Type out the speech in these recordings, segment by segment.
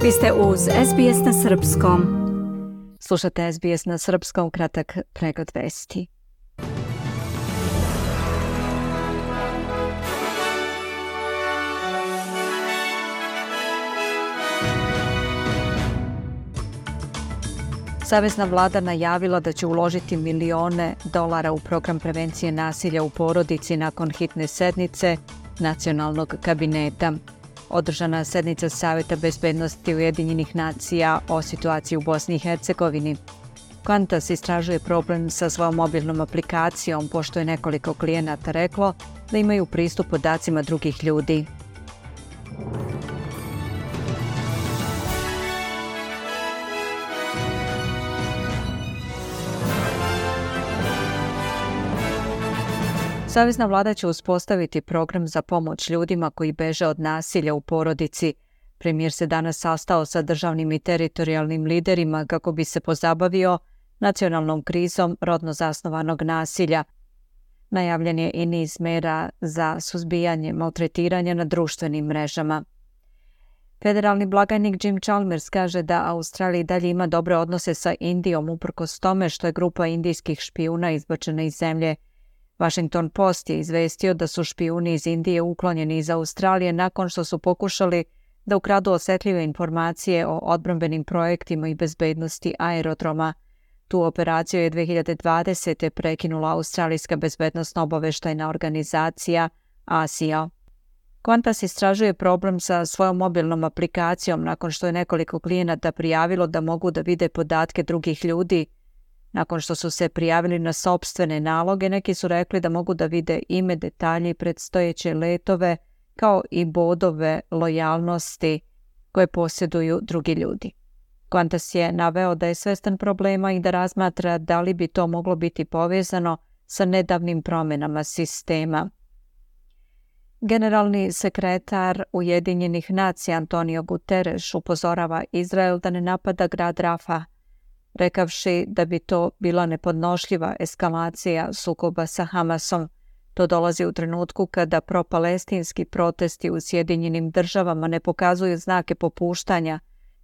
Vi ste uz SBS na Srpskom. Slušate SBS na Srpskom, kratak pregled vesti. Savezna vlada najavila da će uložiti milione dolara u program prevencije nasilja u porodici nakon hitne sednice Nacionalnog kabineta. Održana sednica Saveta bezbednosti Ujedinjenih nacija o situaciji u Bosni i Hercegovini. Qantas istražuje problem sa svojom mobilnom aplikacijom, pošto je nekoliko klijenata reklo da imaju pristup podacima drugih ljudi. Savezna vlada će uspostaviti program za pomoć ljudima koji beže od nasilja u porodici. Premijer se danas sastao sa državnim i teritorijalnim liderima kako bi se pozabavio nacionalnom krizom rodno zasnovanog nasilja. Najavljen je i niz mera za suzbijanje maltretiranja na društvenim mrežama. Federalni blagajnik Jim Chalmers kaže da Australija i dalje ima dobre odnose sa Indijom uprkos tome što je grupa indijskih špijuna izbačena iz zemlje. Washington Post je izvestio da su špijuni iz Indije uklonjeni iz Australije nakon što su pokušali da ukradu osetljive informacije o odbrambenim projektima i bezbednosti aerodroma. Tu operaciju je 2020. prekinula Australijska bezbednosno obaveštajna organizacija ASIO. Qantas istražuje problem sa svojom mobilnom aplikacijom nakon što je nekoliko klijenata prijavilo da mogu da vide podatke drugih ljudi. Nakon što su se prijavili na sopstvene naloge, neki su rekli da mogu da vide ime, detalje i predstojeće letove, kao i bodove lojalnosti koje posjeduju drugi ljudi. Qantas je naveo da je svestan problema i da razmatra da li bi to moglo biti povezano sa nedavnim promjenama sistema. Generalni sekretar Ujedinjenih nacija Antonio Guterres upozorava Izrael da ne napada grad Rafah, rekavši da bi to bila nepodnošljiva eskalacija sukoba sa Hamasom. To dolazi u trenutku kada propalestinski protesti u Sjedinjenim državama ne pokazuju znake popuštanja.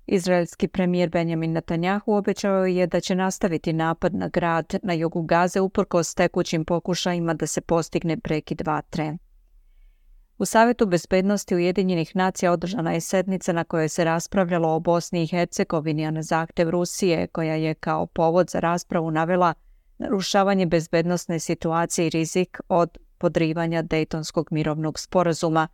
Izraelski premijer Benjamin Netanjahu obećao je da će nastaviti napad na grad na jugu Gaze uprkos tekućim pokušajima da se postigne prekid vatre. U Savetu bezbednosti Ujedinjenih nacija održana je sednica na kojoj se raspravljalo o Bosni i Hercegovini, a na zahtev Rusije, koja je kao povod za raspravu navela narušavanje bezbednosne situacije i rizik od podrivanja Dejtonskog mirovnog sporazuma.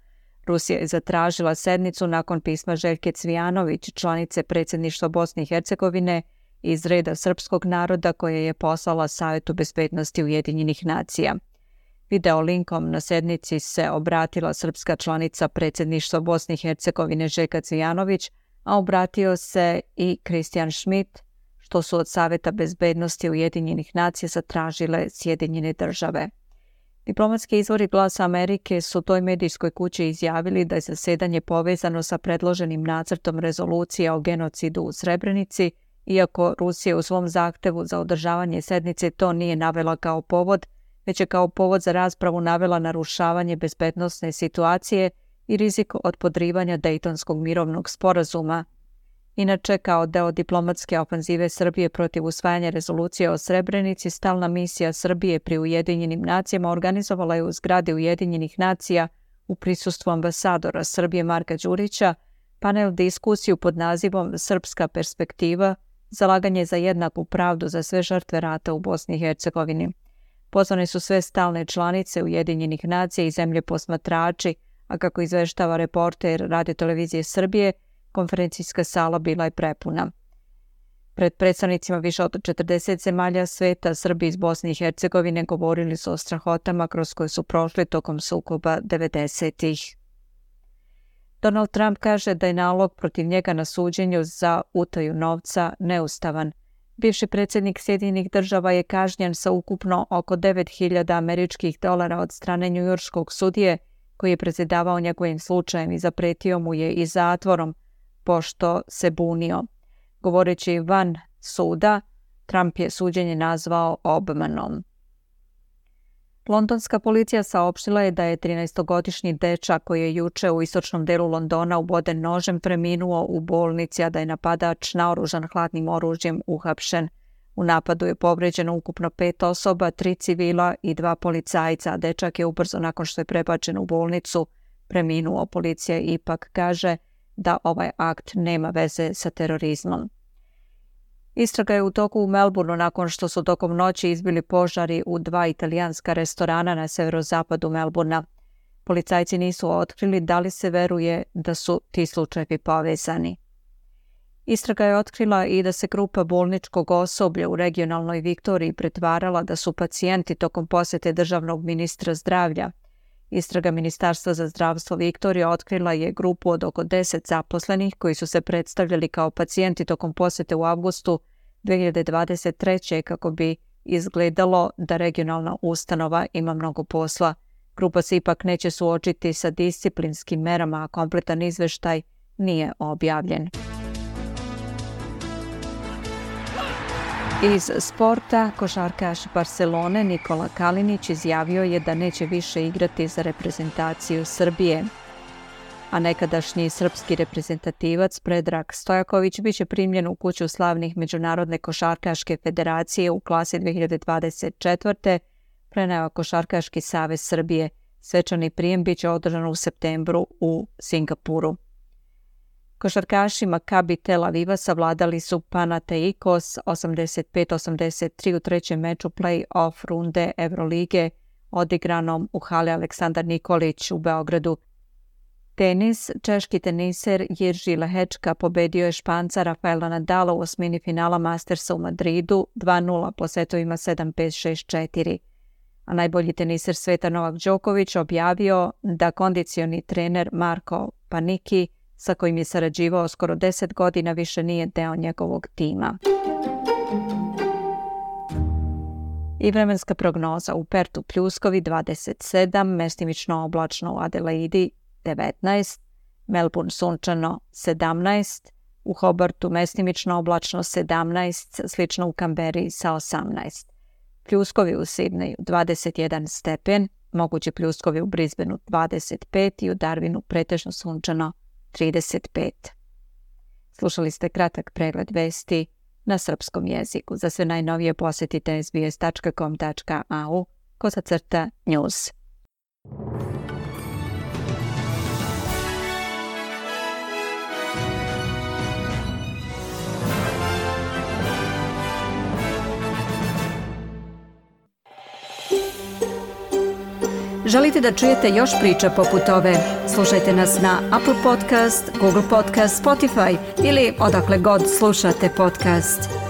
Rusija je zatražila sednicu nakon pisma Željke Cvijanović, članice predsjedništva Bosne i Hercegovine iz reda srpskog naroda, koje je poslala Savetu bezbednosti Ujedinjenih nacija. Video linkom na sednici se obratila srpska članica predsjedništva Bosne i Hercegovine Željka Cvijanović, a obratio se i Christian Schmidt, što su od Saveta bezbednosti Ujedinjenih nacija zatražile Sjedinjene države. Diplomatski izvori Glasa Amerike su toj medijskoj kući izjavili da je zasedanje povezano sa predloženim nacrtom rezolucije o genocidu u Srebrenici, iako Rusija u svom zahtevu za održavanje sednice to nije navela kao povod, već je kao povod za raspravu navela narušavanje bezbednosne situacije i rizik od podrivanja Dejtonskog mirovnog sporazuma. Inače, kao deo diplomatske ofanzive Srbije protiv usvajanja rezolucije o Srebrenici, stalna misija Srbije pri Ujedinjenim nacijama organizovala je u zgradi Ujedinjenih nacija u prisustvu ambasadora Srbije Marka Đurića panel diskusiju pod nazivom Srpska perspektiva, zalaganje za jednaku pravdu za sve žrtve rata u Bosni i Hercegovini. Pozvane su sve stalne članice Ujedinjenih nacija i zemlje posmatrači, a kako izveštava reporter Radio-televizije Srbije, konferencijska sala bila je prepuna. Pred predstavnicima više od 40 zemalja sveta, Srbi iz Bosne i Hercegovine govorili su o strahotama kroz koje su prošli tokom sukoba 90-ih. Donald Trump kaže da je nalog protiv njega na suđenju za utaju novca neustavan. Bivši predsjednik Sjedinjenih država je kažnjen sa ukupno oko 9.000 američkih dolara od strane njujorškog sudije koji je predsjedavao njegovim slučajem i zapretio mu je i zatvorom, pošto se bunio. Govoreći van suda, Trump je suđenje nazvao obmanom. Londonska policija saopštila je da je 13-godišnji dečak koji je juče u istočnom delu Londona uboden nožem preminuo u bolnici, a da je napadač naoružan hladnim oružjem uhapšen. U napadu je povređeno ukupno 5 osoba, 3 civila i 2 policajca, a dečak je ubrzo nakon što je prebačen u bolnicu preminuo. Policija ipak kaže da ovaj akt nema veze sa terorizmom. Istraga je u toku u Melbourneu nakon što su tokom noći izbili požari u 2 italijanska restorana na severozapadu Melbournea. Policajci nisu otkrili da li se veruje da su ti slučajevi povezani. Istraga je otkrila i da se grupa bolničkog osoblja u regionalnoj Viktoriji pretvarala da su pacijenti tokom posete državnog ministra zdravlja. Istraga Ministarstva za zdravstvo Viktorije otkrila je grupu od oko 10 zaposlenih koji su se predstavljali kao pacijenti tokom posete u avgustu 2023. kako bi izgledalo da regionalna ustanova ima mnogo posla. Grupa se ipak neće suočiti sa disciplinskim merama, a kompletan izveštaj nije objavljen. Iz sporta, košarkaš Barcelone Nikola Kalinić izjavio je da neće više igrati za reprezentaciju Srbije, a nekadašnji srpski reprezentativac Predrag Stojaković biće primljen u kuću slavnih Međunarodne košarkaške federacije u klasi 2024. preneo Košarkaški savez Srbije. Svečani prijem biće održan u septembru u Singapuru. Košarkaši Maccabi Tel Aviva savladali su Panathinaikos 85-83 u trećem meču play-off runde Evrolige odigranom u hali Aleksandar Nikolić u Beogradu. Tenis, češki teniser Jiří Lehečka pobedio je Španca Rafaela Nadala u osmini finala Mastersa u Madridu 2-0 po setovima 7-5, 6-4. A najbolji teniser sveta Novak Đoković objavio da kondicioni trener Marko Panicki, sa kojim je sarađivao skoro 10 godina, više nije deo njegovog tima. I vremenska prognoza: u Pertu pljuskovi 27, mestimično oblačno u Adelaidi 19, Melbourne sunčano 17, u Hobartu mestimično oblačno 17, slično u Kamberi sa 18. Pljuskovi u Sidneju 21 stepen, mogući pljuskovi u Brisbaneu 25 i u Darwinu pretežno sunčano 35. Slušali ste kratak pregled vesti na srpskom jeziku. Za sve najnovije posjetite sbs.com.au/news. Želite da čujete još priča poput ove? Slušajte nas na Apple Podcast, Google Podcast, Spotify ili odakle god slušate podcast.